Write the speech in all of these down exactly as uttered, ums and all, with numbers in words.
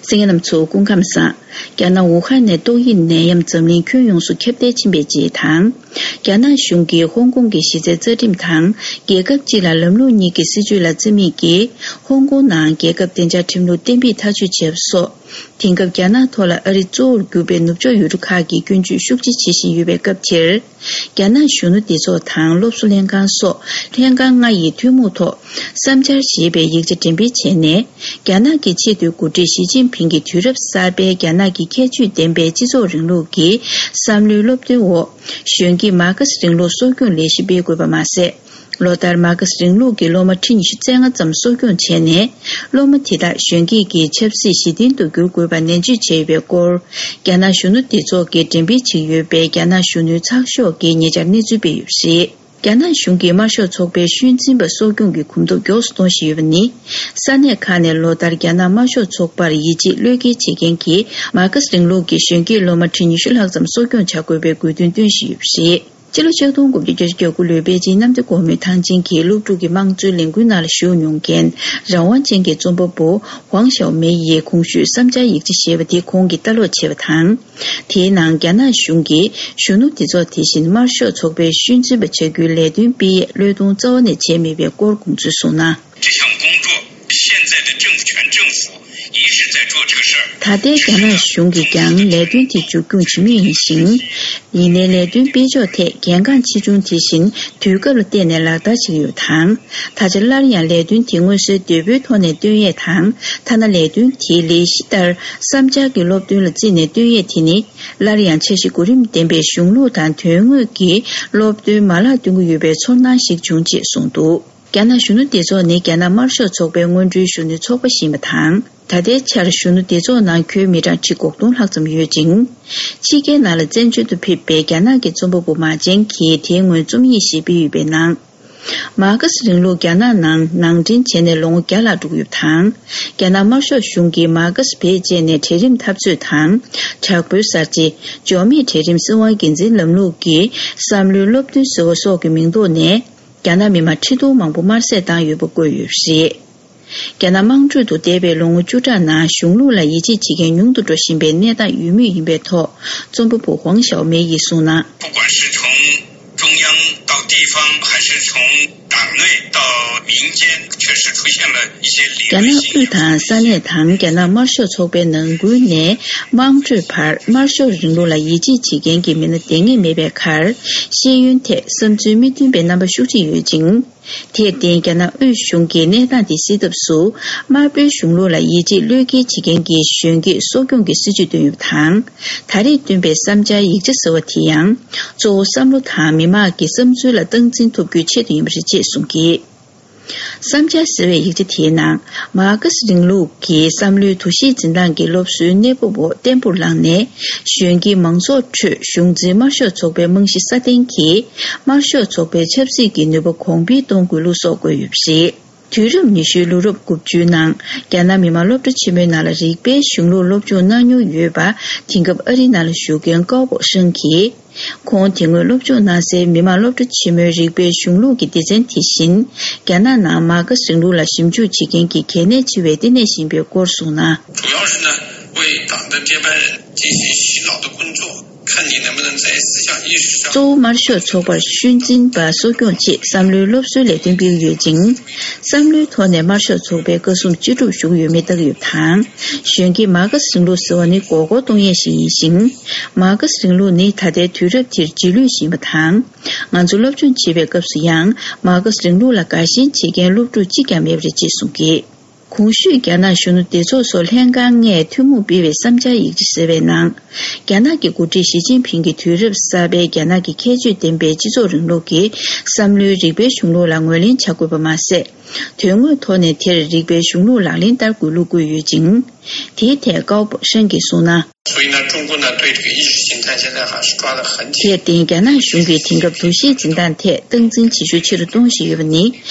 གསན་མཁན་རྣམ་ཚོ་སྐུ་ཁམས་བཟང་། རྒྱ་ནག་ཝུ་ཧན་ནས་ཏོག་དབྱིབས་ནད་ཡམས་འཛམ་གླིང་ཁྱོན་ཡོངས་སུ་ཁྱབ་གདལ་ཕྱིན་པའི་རྗེས་དང་། རྒྱ་ནག་གཞུང་གིས་ཧོང་ཀོང་གི་གཞི་རྩའི་རྩ་ཁྲིམས་དང་རྒྱལ་ཁབ་སྤྱི་ལ་ལམ་ལུགས་གཉིས་ཀྱི་སྲིད་བྱུས་ལ་བརྩི་མེད་ཀྱིས། ཧོང་ཀོང་ནང་རྒྱལ་ཁབ་བདེ་འཇགས་ཁྲིམས་ལུགས་གཏན་འབེབས་ཐག་གཅོད་བྱས་པ་སོགས། དེང་སྐབས་རྒྱ་ནག་ཐོག་ལ་ཨ་རི་གཙོ་བོར་གྱུར་པའི་ནུབ་ཕྱོགས་ཡུལ་གྲུ་ཁག་གིས་སྐྱོན་བརྗོད་ཤུགས་ཆེ་བྱེད་བཞིན་ཡོད་པའི་སྐབས་དེར། རྒྱ་ནག་གཞོན་ནུ་སྡེ་ཚོགས་དང་སློབ་གསོ་ལྷན་ཁང་སོགས་ལྷན་ཁང་ལྔ་ཡི་ཐུན་མོང་ཐོག་བསམ་འཆར་ཞེས་པའི་ཡིག་ཆ་འགྲེམས་སྤེལ་བྱས་ནས། རྒྱ་ནག་གི་ཆེས་མཐོའི་འགོ་ཁྲིད་ཞི་ཅིན་ཕིང་གིས་དུས་རབས་གསར་པའི་རྒྱ་ནག་གི་ཁྱད་ཆོས་ལྡན་པའི་སྤྱི་ཚོགས་རིང་ལུགས་ཀྱི་བསམ་བློའི་སློབ་སྟོན་འོག་གཞོན་སྐྱེས་མར་ཁེ་སི་རིང་ལུགས་གསོ་སྐྱོང་ལས་གཞི་སྤེལ་དགོས་པ་མ་ཟད། ལོ་ལྟར་མར་ཁེ་སི་རིང་ལུགས་ཀྱི་སློབ་མ་ཁྲི་ཉི་ཤུ་རྩ་ལྔ་ཙམ་གསོ་སྐྱོང་བྱས་ནས། སློབ་མ་དེ་དག་གཞོན་སྐྱེས་ཀྱི་ཆབ་སྲིད་གཞི་རྟེན་དུ་འགྱུར་དགོས་པ་ནན་བརྗོད་བྱས་ཡོད་པའི་སྐོར། རྒྱ་ནག་གཞོན་ནུ་སྡེ་ཚོགས་ཀྱིས་འགྲེམས་སྤེལ་བྱས་ཡོད་པའི་རྒྱ་ནག་གཞོན་ནུའི་ཚགས་ཤོག་གིས་ཉེ་ཆར་གནས་ཚུལ་སྤེལ་ཡོད་པ་རེད། རྒྱ་ནག་གཞུང་གིས་དམར་ཤོག་ཚོགས་པའི་ཤུལ་འཛིན་པ་གསོ་སྐྱོང་གི་གོམ་སྟབས་མགྱོགས་སུ་གཏོང་བཞིན་ཡོད་པ་ནི། ས་གནས་ཁག་ནས་ལོ་ལྟར་རྒྱ་ནག་དམར་ཤོག་ཚོགས་པར་ཡིད་ཆེས་བློས་འགེལ་བྱེད་མཁན་གྱི་མར་ཁེ་སི་རིང་ལུགས་ཀྱི་གཞོན་སྐྱེས་སློབ་མ་ཁྲི་ཉི་ཤུ་ལྷག་ཙམ་གསོ་སྐྱོང་བྱ་དགོས་པའི་དགོས་འདུན་བཏོན་བཞིན་ཡོད་པ་རེད། ཕྱི་ལོ་ཆིག་སྟོང་དགུ་བརྒྱ་བརྒྱད་ཅུ་གྱ་དགུ་ལོའི་པེ་ཅིན་གནམ་བདེ་སྒོ་མོའི་ཐང་ཆེན་གྱི་སློབ་ཕྲུག་གི་དམངས་གཙོའི་ལས་འགུལ་ནང་ལ་ཞུགས་མྱོང་མཁན་རང་དབང་ཅན་གྱི་རྩོམ་པ་པོ་ཝང་ཞའོ་མེ་ཡིས་གོང་ཞུས་བསམ་འཆར་ཡིག་ཆ་ཞེས་པ་དེ་ཁོང་གིས་ལྟ་ཀློག་བྱས་པ་དང་། དེའི་ནང་རྒྱ་ནག་གཞུང་གིས་གཞོན་ནུ་སྡེ་ཚོགས་དེ་བཞིན་དམར་ཤོག་ཚོགས་པའི་ཤུལ་འཛིན་པ་བྱ་རྒྱུའི་ལས་དོན་སྤེལ་ཡས་བློས་གཏོང་རྩ་བ་ནས་བྱས་མེད་པའི་སྐོར་དགོངས་ཚུལ་གསུངས་ན། 这项工作现在的政权政府一直在做这个事儿。 ད་ལྟའི་རྒྱ་ནག་གཞུང་གིས་ཀྱང་ལས་དོན་དེ་མཇུག་སྐྱོང་བྱེད་མུས་ཡིན་ཞིང་། ཡིན་ནའི་ལས་དོན་སྤེལ་ཕྱོགས་ཐད་གལ་འགངས་ཆེ་ཆུང་དེ་བཞིན་དུས་སྐབས་ལ་བལྟས་ནས་ལག་བསྟར་བྱེད་ཀྱི་ཡོད་པ་དང་། ད་ཆ་སླར་ཡང་ལས་དོན་དེ་མངོན་གསལ་དོད་པོའི་ཐོག་ནས་སྟོན་ཡས་དང་། ཐ་ན་ལས་དོན་དེའི་ལས་གཞི་ལྟར་བསམ་འཆར་གྱི་སློབ་སྟོན་ལ་བརྩིས་ནས་སྟོན་ཡས་དེ་ནི། སླར་ཡང་འཆར་གཞི་གོ་རིམ་ལྡན་པའི་གཞུང་ལུགས་དང་དོན་དངོས་ཀྱི་སློབ་སྟོན་མ་ལག་སྟོན་གྱི་ཡོད་པའི་ཚོར་སྣང་ཞིག་བྱུང་ཅེས་གསུངས་འདུག་རྒྱ་ནག་གཞོན་ནུ་སྡེ་ཚོགས་ནི་རྒྱ་ནག་དམར་ཤོག་ཚོགས་པའི་སྔོན་འགྲོའི་གཞོན་ནུའི་ཚོགས་པ་ཞིག་ཡིན་པ་དང་། ད་ལྟའི་ཆར་གཞོན་ནུ་སྡེ་ཚོགས་ནང་འཁོད་མི་གྲངས་ཁྲི་གོ་བདུན་ལྷག་ཙམ་ཡོད་ཅིང་། ཕྱི་རྒྱལ་ནང་ལ་བཙན་བྱོལ་དུ་ཕེབས་པའི་རྒྱ་ནག་གི་རྩོམ་པ་པོ་མཱ་ཅན་གྱིས་དེའི་སྔོན་རྩོམ་ཡིག་ཞིག་སྤེལ་ཡོད་པའི་ནང་། མར་ཁེ་སི་རིང་ལུགས་རྒྱ་ནག་ནང་ནང་འདྲེན་བྱས་ནས་ལོ་ངོ་བརྒྱ་ལྷག་འགྲོ་གི་ཡོད་པ་དང་། རྒྱ་ནག་དམར་ཤོག་གཞུང་གིས་མར་ཁེ་སི་བེད་སྤྱད་ནས་གྲལ་རིམ་འཐབ་རྩོད་དང་། དྲག་པོའི་གསར་བརྗེ། འཇོག་མེད་གྲལ་རིམ་སྲིད་དབང་སྒེར་འཛིན་ལམ་ལུགས་ཀྱི་བསམ་བློའི་སློབ་སྟོན་ཟེར་བ་སོགས་ཀྱི་མིང་འདོགས་ནས། རྒྱ་ནག་མི་མང་ཁྲི་སྟོང་མང་པོ་དམར་བསད་བཏང་ཡོད་པ་བཀོད་ཡོད་པ་རེད། རྒྱ་ནག་དམངས་ཁྲོད་དུ་འདས་པའི་ལོ་ངོ་བཅུ་ཕྲག་ནང་གཞུང་ལུགས་ལ་ཡིད་ཆེས་བྱེད་མཁན་ཉུང་དུ་འགྲོ་བཞིན་པའི་གནས་སྟངས་ཡོད་མུས་ཡིན་པའི་ཐོག་རྩོམ་པ་པོ་ཝང་ཞའོ་མེ་ཡིས་གསུངས་ན། 不管是从中央到地方，还是从党内到民间，确实出现了一些理论性的分歧。 རྒྱ་ནག་དབུས་དང་ས་གནས་དང་རྒྱ་ནག་དམར་ཤོག་ཚོགས་པའི་ནང་ཁུལ་ནས་དམངས་ཁྲོད་བར་དམར་ཤོག་རིང་ལུགས་ལ་ཡིད་ཆེས་བྱེད་མཁན་གྱི་མི་སྣ་བསྡད་མཁན་མེད་པའི་ཁར། ཤེས་ཡོན་ཐད་བསམ་ཚུལ་མི་མཐུན་པའི་རྣམ་པ་ཤུགས་ཆེ་ཡོད་ཅིང་། དེར་བརྟེན་རྒྱ་ནག་དབུས་གཞུང་གིས་གནས་སྟངས་དེ་སེལ་ཐབས་སུ། དམར་པོའི་གཞུང་ལུགས་ལ་ཡིད་ཆེས་བློས་འགེལ་བྱེད་མཁན་གྱི་གཞོན་སྐྱེས་གསོ་སྐྱོང་གི་སྲིད་ཇུས་བཏོན་ཡོད་པ་དང་། ད་རེས་བཏོན་པའི་བསམ་འཆར་ཡིག་ཆ་ཟེར་བ་དེ་ཡང་། གཙོ་བོ་བསམ་བློ་དང་མི་མང་གི་བསམ་ཚུལ་ལ་སྟངས་འཛིན་ཐུབ་རྒྱུའི་ཆེད་དུ་ཡིན་པ་རེད་ཅེས་གསུངས་ཀྱིས། བསམ་འཆར་ཟེར་བའི་ཡིག་ཆ་དེའི་ནང་། མར་ཁེ་སི་རིང་ལུགས་ཀྱི་བསམ་བློའི་འདུ་ཤེས་འཛིན་སྟངས་ཀྱི་སློབ་གསོའི་གནས་བབ་འོག་བརྟན་པོར་ལངས་ནས། གཞོན་སྐྱེས་མང་ཚོགས་ཁྲོད་གཞུང་འཛིན་དམར་ཤོག་ཚོགས་པའི་རྨང་གཞི་སྲ་བརྟན་གྱིས། དམར་ཤོག་ཚོགས་པའི་ཆབ་སྲིད་ཀྱི་ནུས་པ་གོང་འཕེལ་གཏོང་དགོས་ལུགས་སོགས་བཀོད་ཡོད་པ་རེད། དུས་རབས་ཉི་ཤུའི་ལོ་རབས་དགུ་བཅུའི་ནང་། རྒྱ་ནག་མི་དམངས་སློབ་གྲྭ་ཆེན་མོའི་ནང་ལ་རིག་པའི་གཞུང་ལུགས་སློབ་སྦྱོང་གནང་མྱོང་ཡོད་པ། དེང་སྐབས་ཨ་རིའི་ནང་ལ་བཞུགས་མཁན་ཀའོ་པོ་ཧྲེང་གིས། ཁོང་དེ་སྔོན་སློབ་སྦྱོང་གནང་སའི་མི་དམངས་སློབ་གྲྭ་ཆེན་མོའི་རིག་པའི་གཞུང་ལུགས་ཀྱི་སྡེ་ཚན་དེ་བཞིན། རྒྱ་ནག་ནང་མར་ཁེ་སི་རིང་ལུགས་ལ་ཞིབ་འཇུག་བྱེད་མཁན་གྱི་གལ་གནད་ཆེ་བའི་བསྟི་གནས་ཤིག་ཡིན་པའི་སྐོར་གསུངས་ན། 主要是呢，为党的接班人进行洗脑的工作，看你能不能在思想意识上 གཙོ་བོ་དམར་ཤོག་ཚོགས་པར་ཤུལ་འཛིན་པ་གསོ་སྐྱོང་ཆེད་བསམ་བློའི་སློབ་གསོའི་ལས་དོན་སྤེལ་གྱི་ཡོད་ཅིང་། བསམ་བློའི་ཐོག་ནས་དམར་ཤོག་ཚོགས་པའི་བཀའ་གསུང་ཅི་སྒྲུབ་ཞུ་གི་ཡོད་མེད་བལྟ་གི་ཡོད་པ་དང་། གཞོན་སྐྱེས་མར་ཁེ་སི་རིང་ལུགས་ཟེར་བ་ནི་མགོ་སྐོར་གཏོང་ཡས་ཤིག་ཡིན་ཞིང་། མར་ཁེ་སི་རིང་ལུགས་ནི་ད་ལྟའི་དུས་རབས་འདིར་རྗེས་ལུས་ཤིག་ཡིན་པ་དང་། ང་ཚོ་སློབ་སྦྱོང་བྱེད་པའི་སྐབས་སུ་ཡང་། མར་ཁེ་སི་རིང་ལུགས་ལ་དགའ་ཞེན་བྱེད་མཁན་སློབ་ཕྲུག་གཅིག་ཀྱང་མེད་པ་རེད་ཅེས་གསུངས་ཀྱིས། གོང་ཞུས་རྒྱ་ནག་གཞོན་ནུ་སྡེ་ཚོགས་སོགས་ལྷན་ཁང་ལྔས་ཐུན་མོང་སྤེལ་བའི་བསམ་འཆར་ཡིག་ཆ་ཟེར་བའི་ནང་། རྒྱ་ནག་གི་འགོ་ཁྲིད་ཞི་ཅིན་ཕིང་གིས་དུས་རབས་གསར་པའི་རྒྱ་ནག་གི་ཁྱད་ཆོས་ལྡན་པའི་སྤྱི་ཚོགས་རིང་ལུགས་ཀྱི་བསམ་བློའི་རིག་པའི་གཞུང་ལུགས་ལ་ངོས་ལེན་བྱ་དགོས་པ་མ་ཟད། དོན་དངོས་ཐོག་ནས་དེར་རིག་པའི་གཞུང་ལུགས་ལག་ལེན་བསྟར་དགོས་ལུགས་བཀོད་ཡོད་ཅིང་། དེའི་ཐད་ཀའོ་པོ་ཧྲེང་གིས་གསུངས་ན། 所以呢，中国呢，对这个意识形态现在还是抓得很紧。 དེར་བརྟེན་རྒྱ་ནག་གཞུང་གིས་དེང་སྐབས་འདུ་ཤེས་འཛིན་སྟངས་ཐད་སྟངས་འཛིན་བྱེད་ཤུགས་ཆེ་རུ་གཏོང་བཞིན་ཡོད་པ་ནི།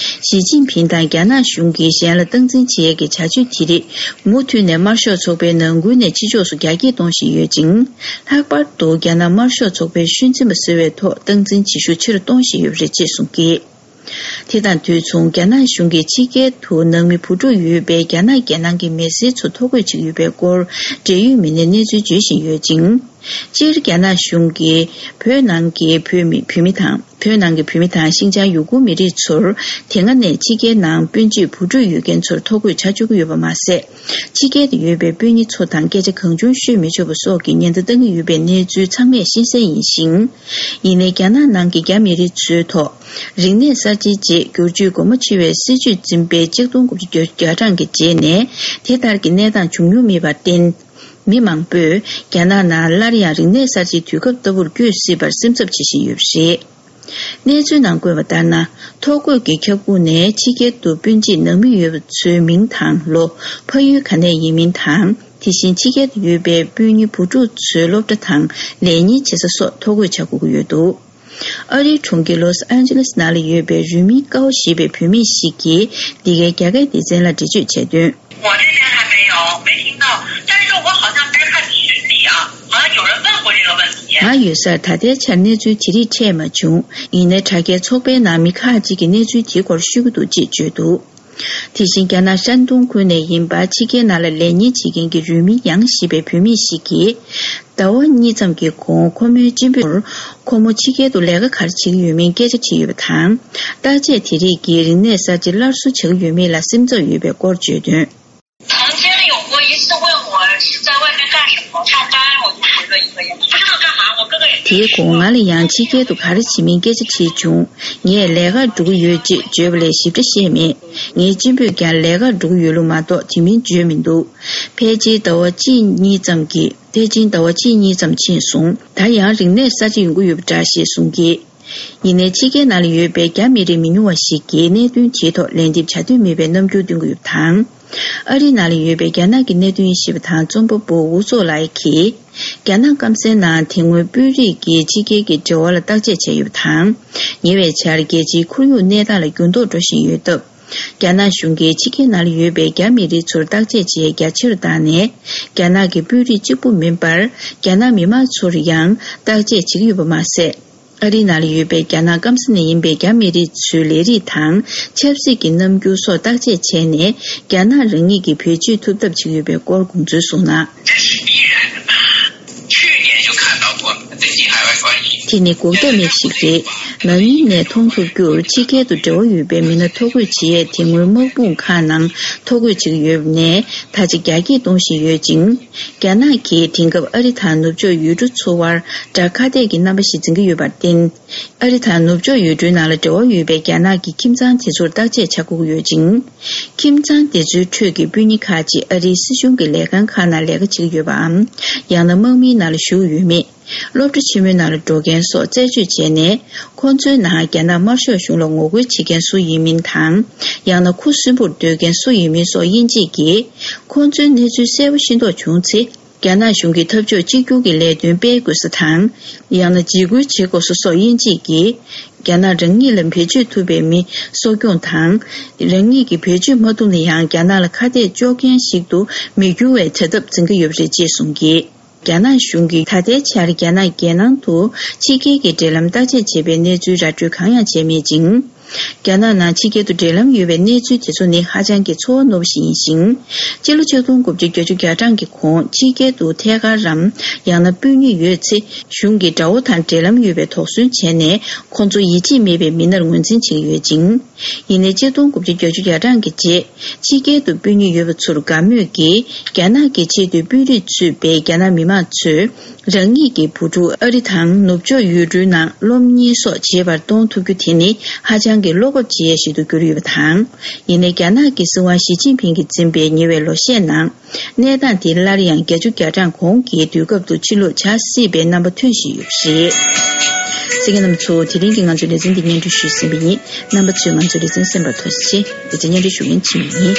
ཞི་ཅིན་ཕིང་དང་རྒྱ་ནག་གཞུང་གིས་གཞན་ལ་སྟངས་འཛིན་བྱེད་ཡས་ཀྱི་བྱ་སྤྱོད་དེ་རིགས་མུ་མཐུད་ནས་དམར་ཤོག་ཚོགས་པའི་ནང་ཁུལ་ནས་ཕྱི་ཕྱོགས་སུ་རྒྱ་སྐྱེད་གཏོང་བཞིན་ཡོད་ཅིང་། ལྷག་པར་དུ་རྒྱ་ནག་དམར་ཤོག་ཚོགས་པའི་ཤུལ་འཛིན་པ་བཟོ་བའི་ཐོག་སྟངས་འཛིན་བྱེད་ཤུགས་ཆེ་རུ་གཏོང་བཞིན་ཡོད་པ་རེད་ཅེས་གསུངས་ཀྱིས། དེ་དང་དུས་མཚུངས། རྒྱ་ནག་གཞུང་གིས་ཕྱི་རྒྱལ་དུ་ནང་མི་བུ་ཕྲུག་ཡོད་པའི་རྒྱ་ནག་རྒྱལ་ནང་གི་མི་སེར་ཚོ་ཐོ་འགོད་བྱེད་ཀྱི་ཡོད་པའི་སྐོར། འབྲེལ་ཡོད་མི་སྣས་གནས་ཚུལ་བརྗོད་བཞིན་ཡོད་ཅིང་། སྤྱིར་རྒྱ་ནག་གཞུང་གིས་བོད་ནང་གི་བོད་མི་བོད་མི་དང་། བོད་ནང་གི་བོད་མི་དང་ཤིན་ཅང་ཡུ་གུར་མི་རིགས་ཚོར། དེ་སྔ་ནས་ཕྱི་རྒྱལ་ནང་སྤུན་མཆེད་བུ་ཕྲུག་ཡོད་མཁན་ཚོར་ཐོ་འགོད་བྱ་བཅུག་གི་ཡོད་པ་མ་ཟད། ཕྱི་རྒྱལ་དུ་ཡོད་པའི་སྤུན་ཉེ་ཚོ་དང་སྐད་ཆ་གང་བྱུང་ཤོད་མི་ཆོག་པ་སོགས་ཀྱི་ཉེན་བརྡ་བཏང་གི་ཡོད་པའི་གནས་ཚུལ་ཚང་མས་ཤེས་གསལ་ཡིན་ཞིང་། ཡིན་ནའི་རྒྱ་ནག་ནང་གི་རྒྱ་མི་རིགས་ཚོའི་ཐོག་རིག་གནས་གསར་བརྗེའི་རྗེས་བསྒྱུར་བཅོས་སྒོ་མོ་ཕྱེ་བའི་སྲིད་བྱུས་འཛིན་པའི་ཆིག་སྟོང་དགུ་བརྒྱ་བརྒྱད་ཅུ་གྱ་གྲངས་ཀྱི་རྗེས་ནས་དེ་ལྟར་གྱི་གནས་སྟངས་བྱུང་མྱོང་མེད་པར་བརྟེན། མི་མང་པོས་རྒྱ་ནག་ནང་སླར་ཡང་རིག་གནས་གསར་བརྗེའི་དུས་སྐབས་ལྟ་བུར་བསྐྱོད་སྲིད་པར་སེམས་འཚབ་བྱེད་བཞིན་ཡོད་པ་རེད། གནས་ཚུལ་ནང་བཀོད་པ་ལྟར་ན། ཐོ་འགོད་ཀྱི་ཁྱབ་ཁོངས་ནས་ཕྱི་རྒྱལ་དུ་སྤུན་མཆེད་ནང་མི་ཡོད་པ་ཚོའི་མིང་དང་ལོ། ཕ་ཡུལ་ག་ནས་ཡིན་མིན་དང་། དེ་བཞིན་ཕྱི་རྒྱལ་དུ་ཡོད་པའི་སྤུན་ཉེ་བུ་ཕྲུག་ཚོའི་སློབ་གྲྭ་དང་ལས་གཉེར་བྱེད་ས་སོགས་ཐོ་འགོད་བྱ་དགོས་ཀྱི་ཡོད་འདུག་ཨ་རིའི་གྲོང་ཁྱེར་ལོས་ཨན་ཇེ་ལེས་ནང་ལ་ཡོད་པའི་རུས་མིང་ཀའོ་ཞེས་པའི་བུད་མེད་ཞིག་གིས་འདི་གའི་རྒྱ་སྐད་སྡེ་ཚན་ལ་འགྲེལ་བརྗོད་བྱས་དོན། 我这边还没有，没听到，但是我好像待看群里啊，好像有人问过这个问题。 ང་ཡོད་སར་ད་ལྟའི་ཆར་གནས་ཚུལ་དེ་རིགས་འཕྲད་མ་བྱུང་། ཡིན་ནའི་དྲ་རྒྱའི་ཚོགས་པའི་ནང་མི་ཁག་ཅིག་གིས་གནས་ཚུལ་དེའི་སྐོར་ཤོད་ཀྱི་འདུག་ཅེས་བརྗོད་འདུག་དེ་བཞིན་རྒྱ་ནག་ཧྲན་ཏུང་ཁུལ་ནས་ཡིན་པ་ཕྱི་རྒྱལ་ནང་ལ་ལས་གཉེར་བྱེད་མཁན་གྱི་རུས་མིང་ཡང་ཞེས་པའི་བུད་མེད་ཞིག་གིས། ཟླ་བ་གཉིས་ཙམ་གྱི་གོང་ཁོ་མོའི་གཅེན་པོས་ཁོ་མོ་ཕྱི་རྒྱལ་དུ་ལས་ཀ་ག་རེ་བྱེད་ཀྱི་ཡོད་མིན་སྐད་ཆ་དྲིས་ཡོད་པ་དང་། བརྟག་དཔྱད་དེ་རིགས་ཀྱིས་རིག་གནས་གསར་བརྗེ་སླར་གསོ་བྱེད་ཀྱི་ཡོད་མེད་ལ་སེམས་འཚབ་ཡོད་པའི་སྐོར་བརྗོད་དོན། 房间里有过一次问我是在外面干什么，上班，我就回了一个也不知道干嘛，我哥哥也 དེའི་གོང་ང་ལ་ཡང་ཕྱི་རྒྱལ་དུ་ག་རེ་བྱེད་མིན་སྐད་ཆ་དྲིས་བྱུང་། ངས་ལས་ཀར་འགྲོ་གི་ཡོད་ཅེས་བརྗོད་པ་ལས་ཞིབ་ཕྲ་བཤད་མེད། ངའི་གཅེན་པོས་ཀྱང་ལས་ཀར་འགྲོ་གི་ཡོད་ལུགས་མ་གཏོགས་དེ་མིན་བརྗོད་མི་འདུག་ཕལ་ཆེར་ཟླ་བ་གཅིག་གཉིས་ཙམ་གྱི། ཕལ་ཆེར་ཟླ་བ་གཅིག་གཉིས་ཙམ་ཕྱིན་སོང་། ད་ཡང་རིག་གནས་གསར་བརྗེ་ཡོང་གི་ཡོད་པ་འདྲ་ཞེས་གསུངས་ཀྱིས། ཡིན་ནའི་ཕྱི་རྒྱལ་ནང་ལ་ཡོད་པའི་རྒྱ་མི་རིགས་མི་ཉུང་བ་ཞིག་གིས་གནད་དོན་དེའི་ཐོག་ལན་འདེབས་བྱ་འདོད་མེད་པའི་རྣམ་འགྱུར་སྟོན་གྱི་ཡོད་པ་དང་། ཨ་རི་ནང་ལ་ཡོད་པའི་རྒྱ་ནག་གི་གནད་དོན་དབྱེ་ཞིབ་པ་དང་རྩོམ་པ་པོ་ཝུ་ཙོ་ལའེ་གིས། རྒྱ་ནག་སྐམ་སའི་ནང་དེ་སྔོན་དཔོན་རིགས་ཀྱིས་ཕྱི་རྒྱལ་གྱི་འབྲེལ་བ་ལ་བརྟག་དཔྱད་བྱས་ཡོད་པ་དང་། ཉེ་བའི་ཆར་རྒྱལ་སྤྱིའི་ཁོར་ཡུག་གནས་སྟངས་ལ་འགྱུར་ལྡོག་འགྲོ་བཞིན་ཡོད་སྟབས། རྒྱ་ནག་གཞུང་གིས་ཕྱི་རྒྱལ་ནང་ལ་ཡོད་པའི་རྒྱ་མི་རིགས་ཚོར་བརྟག་དཔྱད་བྱེད་ཡ་རྒྱ་ཆེ་རུ་བཏང་ནས། རྒྱ་ནག་གི་དཔོན་རིགས་གཅིག་པུ་མིན་པར། རྒྱ་ནག་མི་མང་ཚོར་ཡང་བརྟག་དཔྱད་བྱེད་ཀྱི་ཡོད་པ་མ་ཟད། ཨ་རིའི་ནང་ལ་ཡོད་པའི་རྒྱ་ནག་སྐམ་ས་ནས་ཡིན་པའི་རྒྱ་མི་རིགས་ཚོའི་ལས་རིགས་དང་ཆབ་སྲིད་ཀྱི་རྣམ་འགྱུར་སོགས་བརྟག་དཔྱད་བྱས་ནས། རྒྱ་ནག་རང་ཉིད་ཀྱིས་བེད་སྤྱོད་ཐུབ་ཐབས་བྱེད་ཀྱི་ཡོད་པའི་སྐོར་དགོངས་ཚུལ་གསུངས་གནང་། 这是必然的吧？去年就看到过，最近还会说你 དེ་ནི་འགོག་ཐབས་མེད་པ་ཞིག་རེད། ན་ནིང་ནས་མཐོང་ཐུབ་རྒྱུར། ཕྱི་རྒྱལ་དུ་འབྲེལ་བ་ཡོད་པའི་མི་སྣ་ཐོ་འགོད་བྱེད་ཡས་དེ་སྔོན་དམག་དཔུང་ཁག་ནང་ཐོ་འགོད་བྱེད་ཀྱི་ཡོད་པ་ནས། ད་ཆ་རྒྱ་སྐྱེད་གཏོང་བཞིན་ཡོད་ཅིང་། རྒྱ་ནག་གིས་དེང་སྐབས་ཨ་རི་དང་ནུབ་ཕྱོགས་ཡུལ་གྲུ་ཚོ་བར་དགྲ་ཁ་གཏད་ཀྱི་རྣམ་པ་ཞིག་འཛིན་གྱི་ཡོད་པར་བརྟེན། ཨ་རི་དང་ནུབ་ཕྱོགས་ཡུལ་གྲུའི་ནང་ལ་འབྲེལ་བ་ཡོད་པའི་རྒྱ་ནག་གི་ཁྱིམ་ཚང་དེ་ཚོར་བརྟག་དཔྱད་བྱ་དགོས་ཀྱི་ཡོད་ཅིང་། ཁྱིམ་ཚང་དེ་ཚོའི་ཁྲོད་ཀྱི་སྤུན་ཉེ་ཁག་ཅིག་ཨ་རིའི་སྲིད་གཞུང་གི་ལས་ཁང་ཁག་ནང་ལས་ཀ་བྱེད་ཀྱི་ཡོད་པའམ། ཡང་ན་དམག་མིའི་ནང་ལ་ཞུགས་ཡོད་མེད། སློབ་གྲྭ་ཆེན་མོའི་ནང་ལ་འགྲོ་མཁན་སོགས་རྩད་གཅོད་བྱས་ནས། ཁོང་ཚོའི་ནང་རྒྱ་ནག་དམར་ཤོག་གཞུང་ལ་ངོ་རྒོལ་བྱེད་མཁན་སུ་ཡིན་མིན་དང་། ཡང་ན་ཁུ་སིམ་པོར་སྡོད་མཁན་སུ་ཡིན་མིན་སོགས་དབྱེ་འབྱེད་ཀྱིས། ཁོང་ཚོའི་གནས་ཚུལ་གསལ་པོ་ཤེས་རྟོགས་བྱུང་ཚེ། རྒྱ་ནག་གཞུང་གིས་འཐབ་ཕྱོགས་གཅིག་གྱུར་གྱི་ལས་དོན་སྤེལ་དགོས་ས་དང་། ཡང་ན་འཇིགས་སྐུལ་བྱེད་དགོས་ས་སོགས་དབྱེ་འབྱེད་ཀྱིས། རྒྱ་ནག་རང་ཉིད་ལ་བེད་སྤྱོད་ཐུབ་པའི་མི་གསོ་སྐྱོང་དང་། རང་ཉིད་ཀྱིས་བེད་སྤྱོད་མ་ཐུབ་ན་ཡང་རྒྱ་ནག་ལ་ཁ་གཏད་གཅོག་མཁན་ཞིག་ཏུ་མི་འགྱུར་བའི་བྱ་ཐབས་འཛིན་གྱི་ཡོད་པ་རེད་ཅེས་གསུངས་ཀྱིས། རྒྱ་ནག་གཞུང་གིས་ད་ལྟའི་ཆར་རྒྱ་ནག་རྒྱལ་ནང་དུ་ཕྱི་རྒྱལ་གྱི་འབྲེལ་ལམ་བརྟག་དཔྱད་བྱེད་པའི་གནས་ཚུལ་ར་སྤྲོད་གང་ཡང་བྱས་མེད་ཅིང་། རྒྱ་ནག་ནང་ཕྱི་རྒྱལ་དུ་འབྲེལ་ལམ་ཡོད་པའི་གནས་ཚུལ་དེ་ཚོ་ནི་ཧ་ཅང་གི་ཚོར་བ་རྣོ་བ་ཞིག་ཡིན་ཞིང་། སྤྱི་ལོ་ཆིག་སྟོང་དགུ་བརྒྱ་བརྒྱད་ཅུ་གྱ་གྲངས་ཀྱི་གོང་ཕྱི་རྒྱལ་དུ་ཐད་ཀར་རམ། ཡང་ན་སྤུན་ཉེ་ཡོད་ཚེ། གཞུང་གི་དགྲ་བོ་དང་འབྲེལ་ལམ་ཡོད་པའི་དོགས་ཟོན་བྱས་ནས། ཁོང་ཚོ་ཡིད་ཆེས་མེད་པའི་མི་སྣར་ངོས་འཛིན་བྱེད་ཀྱི་ཡོད་ཅིང་། ཡིན་ནའི་ཆིག་སྟོང་དགུ་བརྒྱ་བརྒྱད་ཅུ་གྱ་གྲངས་ཀྱི་རྗེས། ཕྱི་རྒྱལ་དུ་སྤུན་ཉེ་ཡོད་པ་ཚོར་དགའ་མོས་ཀྱིས། རྒྱ་ནག་གི་ཆེས་མཐོའི་དཔོན་རིགས་ཚུད་པའི་རྒྱ་ནག་མི་མང་ཚོས། རང་ཉིད་ཀྱི་བུ་ཕྲུག་ཨ་རི་དང་ནུབ་ཕྱོགས་ཡུལ་གྲུའི་ནང་སློབ་གཉེར་སོགས་བྱེད་པར་གཏོང་ཐུབ་རྒྱུ་དེ་ནི་ཧ་ཅང་གི་བློ་སྤོབས་བྱེད་ཡས་ཤིག་ཏུ་གྱུར་ཡོད་པ་དང་། ཡིན་ནའི་རྒྱ་ནག་གི་སྲིད་དབང་ཞི་ཅིན་ཕིང་གིས་འཛིན་པའི་ཉེ་བའི་ལོ་ཤས་ནང་། གནས་སྟངས་དེ་སླར་ཡང་བརྒྱད་ཅུ་གྱ་གྲངས་གོང་གི་དུས་སྐབས་སུ་ཕྱིར་ལོག་བྱ་སྲིད་པའི་རྣམ་པ་ཐོན་བཞིན་ཡོད་པ་རེད། གསན་མཁན་རྣམ་པ་ཚོ། དེ་རིང་གི་ང་ཚོའི་ལེ་ཚན་འདི་སྙན་སྒྲོན་ཞུས་ཟིན་པ་ཡིན། རྣམ་པ་ཚོས་ང་ཚོའི་ལེ་ཚན་གསན་པར་ཐུགས་རྗེ་ཆེ། ལེ་ཚན་སྙན་སྒྲོན་ཞུ་མཁན་འཆི་མེད་ཡིན།